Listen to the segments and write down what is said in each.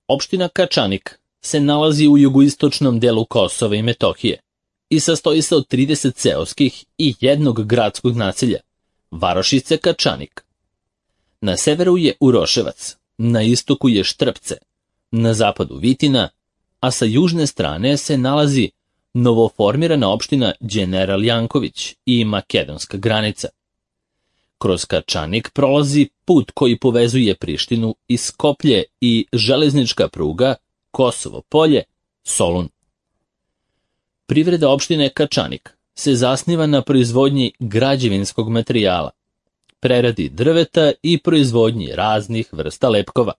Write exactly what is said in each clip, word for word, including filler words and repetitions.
Opština Kačanik se nalazi u jugoistočnom delu Kosova i Metohije i sastoji se od trideset seoskih i jednog gradskog naselja, varošice Kačanik. Na severu je Uroševac, na istoku je Štrpce, na zapadu Vitina, a sa južne strane se nalazi novoformirana opština Đeneral Janković i makedonska granica. Kroz Kačanik prolazi put koji povezuje Prištinu i Skoplje i železnička pruga Kosovo Polje, Solun. Privreda opštine Kačanik se zasniva na proizvodnji građevinskog materijala, preradi drveta i proizvodnji raznih vrsta lepkova.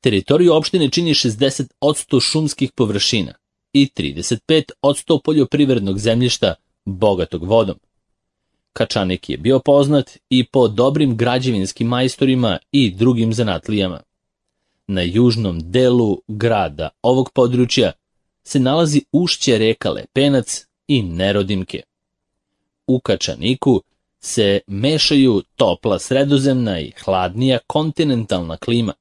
Teritoriju opštine čini šezdeset posto šumskih površina i trideset pet posto poljoprivrednog zemljišta bogatog vodom. Kačanik je bio poznat i po dobrim građevinskim majstorima i drugim zanatlijama. Na južnom delu grada ovog područja se nalazi ušće reka Lepenac i Nerodimke. U Kačaniku se mešaju topla sredozemna i hladnija kontinentalna klima,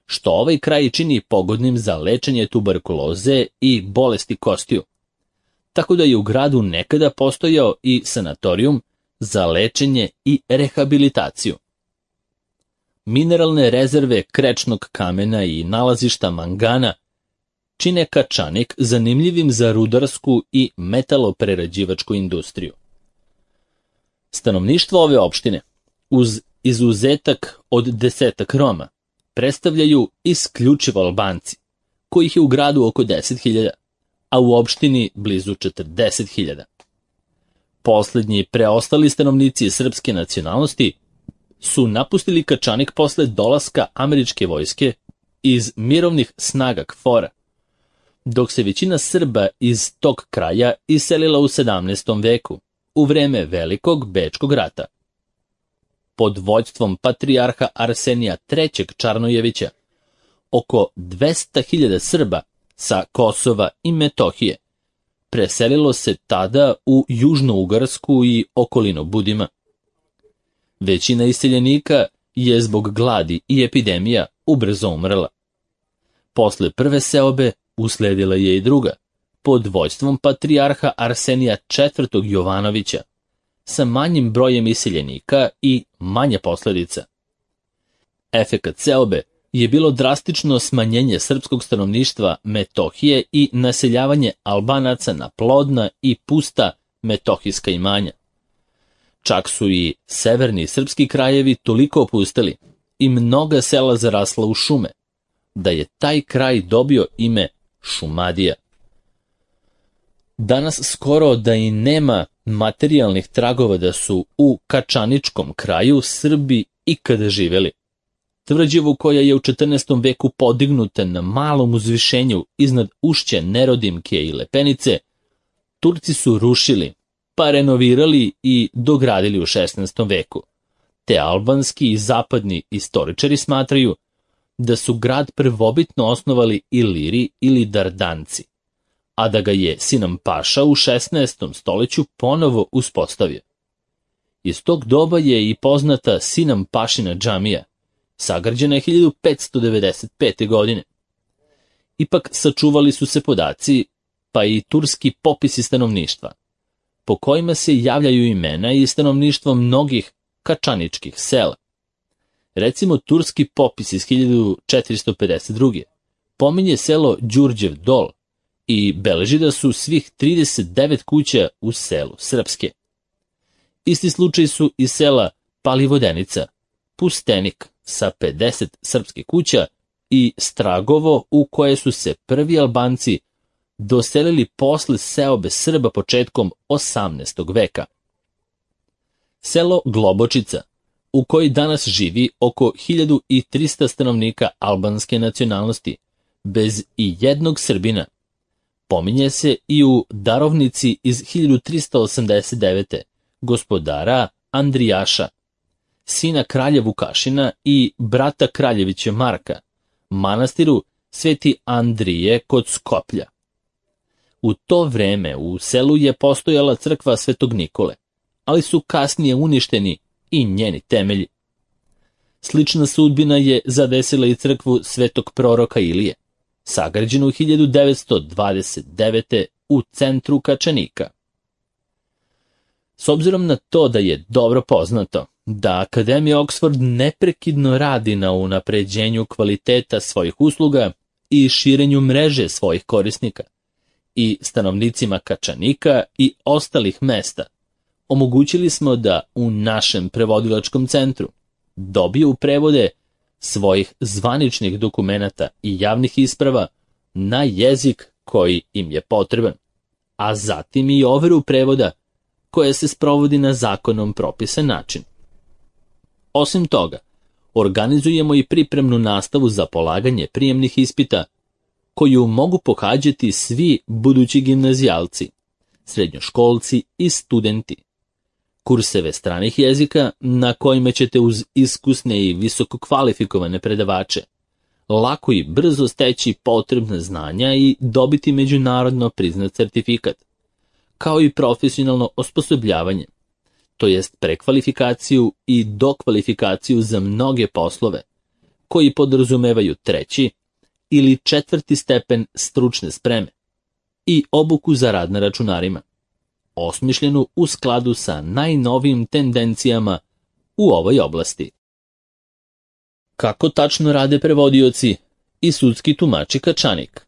što ovaj kraj čini pogodnim za lečenje tuberkuloze i bolesti kostiju. Tako da je u gradu nekada postojao i sanatorijum za lečenje i rehabilitaciju. Mineralne rezerve krečnog kamena i nalazišta mangana čine Kačanik zanimljivim za rudarsku i metaloprerađivačku industriju. Stanovništvo ove opštine, uz izuzetak od desetak Roma, predstavljaju isključivo Albanci, kojih je u gradu oko deset hiljada, a u opštini blizu četrdeset hiljada. Poslednji preostali stanovnici srpske nacionalnosti su napustili Kačanik posle dolaska američke vojske iz mirovnih snaga KFOR-a, dok se većina Srba iz tog kraja iselila u sedamnaestom veku, u vreme Velikog Bečkog rata. Pod vođstvom patrijarha Arsenija trećeg Čarnojevića, oko dvesta hiljada Srba sa Kosova i Metohije preselilo se tada u Južno-Ugarsku i okolinu Budima. Većina iseljenika je zbog gladi i epidemija ubrzo umrla. Posle prve seobe usledila je i druga, pod vođstvom patrijarha Arsenija četvrtog Jovanovića, sa manjim brojem iseljenika i manje posledica. Efekat seobe je bilo drastično smanjenje srpskog stanovništva Metohije i naseljavanje Albanaca na plodna i pusta metohijska imanja. Čak su i severni srpski krajevi toliko opusteli i mnoga sela zarasla u šume, da je taj kraj dobio ime Šumadija. Danas skoro da i nema materijalnih tragova da su u Kačaničkom kraju Srbi ikada živeli. Tvrđavu koja je u četrnaestom veku podignuta na malom uzvišenju iznad ušća Nerodimke i Lepenice, Turci su rušili, pa renovirali i dogradili u šesnaestom veku, te albanski i zapadni istoričari smatraju da su grad prvobitno osnovali Iliri ili Dardanci, a da ga je Sinan Paša u šesnaestom stoleću ponovo uspostavio. Iz tog doba je i poznata Sinan Pašina džamija, sagrađena je hiljadu petsto devedeset pete. godine. Ipak sačuvali su se podaci, pa i turski popisi stanovništva, po kojima se javljaju imena i stanovništvo mnogih kačaničkih sela. Recimo, turski popis iz hiljadu četiristo pedeset druge. pominje selo Đurđev Dol i beleži da su svih trideset devet kuća u selu srpske. Isti slučaj su i sela Palivodenica, Pustenik sa pedeset srpskih kuća i Stragovo, u koje su se prvi Albanci doselili posle seobe Srba početkom osamnaestog veka. Selo Globočica, u kojoj danas živi oko hiljadu trista stanovnika albanske nacionalnosti, bez i jednog Srbina, pominje se i u darovnici iz hiljadu trista osamdeset devete. gospodara Andrijaša, sina kralja Vukašina i brata kraljevića Marka, manastiru Sveti Andrije kod Skoplja. U to vreme u selu je postojala crkva Svetog Nikole, ali su kasnije uništeni i njeni temelji. Slična sudbina je zadesila i crkvu Svetog proroka Ilije, sagrađenu hiljadu devetsto dvadeset devete. u centru Kačanika. S obzirom na to da je dobro poznato da Akademija Oxford neprekidno radi na unapređenju kvaliteta svojih usluga i širenju mreže svojih korisnika, i stanovnicima Kačanika i ostalih mesta omogućili smo da u našem prevodilačkom centru dobiju prevode svojih zvaničnih dokumenata i javnih isprava na jezik koji im je potreban, a zatim i overu prevoda koja se sprovodi na zakonom propisan način. Osim toga, organizujemo i pripremnu nastavu za polaganje prijemnih ispita koju mogu pohađati svi budući gimnazijalci, srednjoškolci i studenti. Kurseve stranih jezika na kojima ćete uz iskusne i visoko kvalifikovane predavače lako i brzo steći potrebna znanja i dobiti međunarodno priznat certifikat, kao i profesionalno osposobljavanje, to jest prekvalifikaciju i dokvalifikaciju za mnoge poslove, koji podrazumevaju treći ili četvrti stepen stručne spreme i obuku za rad na računarima, osmišljenu u skladu sa najnovijim tendencijama u ovoj oblasti. Kako tačno rade prevodioci i sudski tumači Kačanik?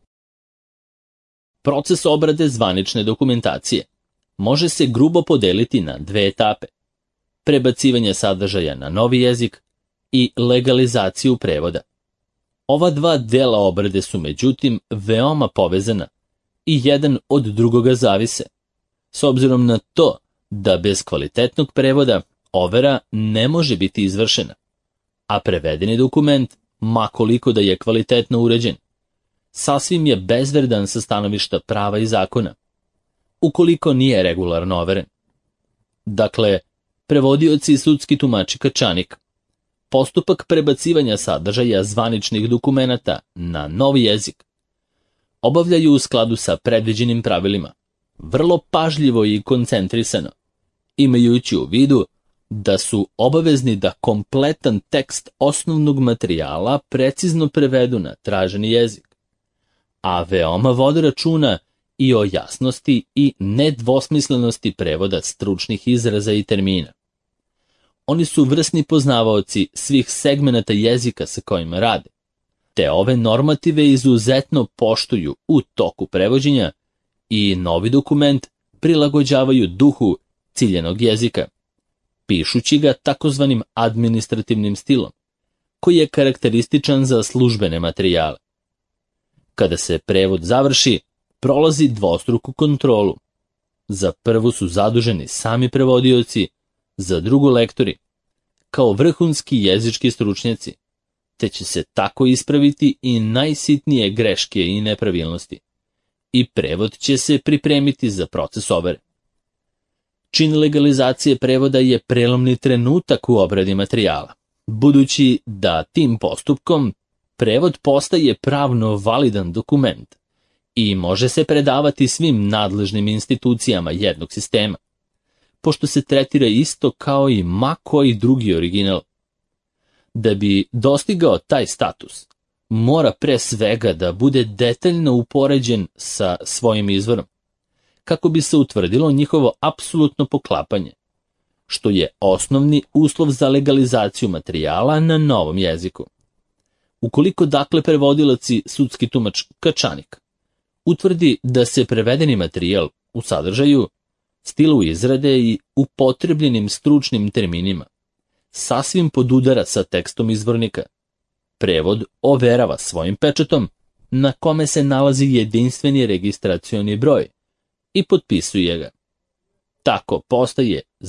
Proces obrade zvanične dokumentacije može se grubo podeliti na dve etape: prebacivanje sadržaja na novi jezik i legalizaciju prevoda. Ova dva dela obrade su međutim veoma povezana i jedan od drugoga zavise, s obzirom na to da bez kvalitetnog prevoda overa ne može biti izvršena, a prevedeni dokument, ma koliko da je kvalitetno uređen, sasvim je bezvredan sa stanovišta prava i zakona, ukoliko nije regularno overen. Dakle, prevodioci i sudski tumači Kačanik postupak prebacivanja sadržaja zvaničnih dokumenata na novi jezik obavljaju u skladu sa predviđenim pravilima, vrlo pažljivo i koncentrisano, imajući u vidu da su obavezni da kompletan tekst osnovnog materijala precizno prevedu na traženi jezik, a veoma vode računa i o jasnosti i nedvosmislenosti prevoda stručnih izraza i termina. Oni su vrsni poznavaoci svih segmenata jezika sa kojima rade, te ove normative izuzetno poštuju u toku prevođenja i novi dokument prilagođavaju duhu ciljenog jezika, pišući ga takozvanim administrativnim stilom, koji je karakterističan za službene materijale. Kada se prevod završi, prolazi dvostruku kontrolu. Za prvu su zaduženi sami prevodioci, za drugu lektori, kao vrhunski jezički stručnjaci, te će se tako ispraviti i najsitnije greške i nepravilnosti, i prevod će se pripremiti za proces overe. Čin legalizacije prevoda je prelomni trenutak u obradi materijala, budući da tim postupkom prevod postaje pravno validan dokument i može se predavati svim nadležnim institucijama jednog sistema, pošto se tretira isto kao i ma koji drugi original. Da bi dostigao taj status, mora pre svega da bude detaljno upoređen sa svojim izvorom, kako bi se utvrdilo njihovo apsolutno poklapanje, što je osnovni uslov za legalizaciju materijala na novom jeziku. Ukoliko dakle prevodilac i sudski tumač Kačanik utvrdi da se prevedeni materijal u sadržaju, stilu izrade i upotrebljenim stručnim terminima sasvim podudara sa tekstom izvornika, prevod overava svojim pečatom na kome se nalazi jedinstveni registracioni broj i potpisuje ga. Tako postaje